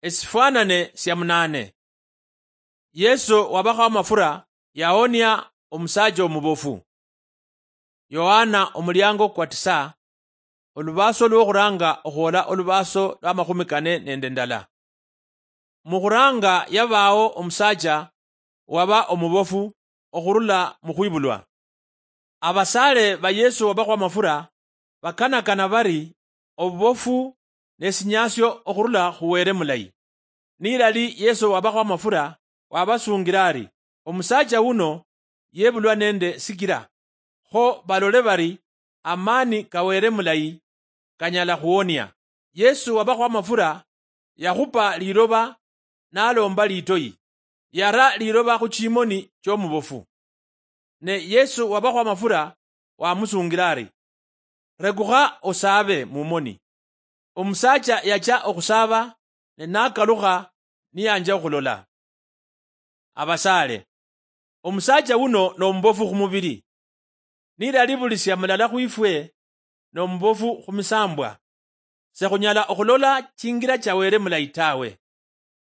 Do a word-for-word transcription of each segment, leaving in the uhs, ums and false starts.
Esifwanane sia munane. Yesu wabakho amafura yawonia omusacha omubofu. Yohana omuliango kwa tisa, olubaso lwokhuranga okhwola olubaso lwa makhumi kane nende ndala. Mukhuranga yabao omusacha waba omubofu okhurula mukhwibulwa. Abasaale ba Yesu wabakho amafura bakanakana bari obubofu nesinyasio okhurula khu Wele mulayi. Nilali Yesu wabakho amafura wabasungira ari, omusacha wuno yebulwa nende sikira, kho balole bari amani ka Wele mulayi kanyala khuwonia. Yesu wabakho amafura yakhupa liloba nalomba litoyi, yara liloba khu chimoni chomubofu. Ne Yesu wabakho amafura wamusungira ari, rekukha osaabe mumoni. Omusacha yacha okhusaba ne nakalukha niyanja okhulola. Abasaale, omusacha wuno nomubofu khumubili. Nilali buli sia mulala khwifwe nomubofu khumisambwa, sekhunyala okhulola chingira cha Wele mulayi tawe.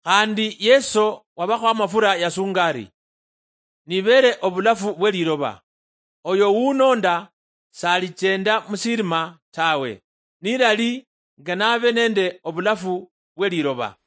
Khandi Yesu wabakho amafura yasunga ari, nibere obulafu bwe liloba, oyo wunonda salichenda musirima tawe, nilali nga nabe nende obulafu bwe liloba.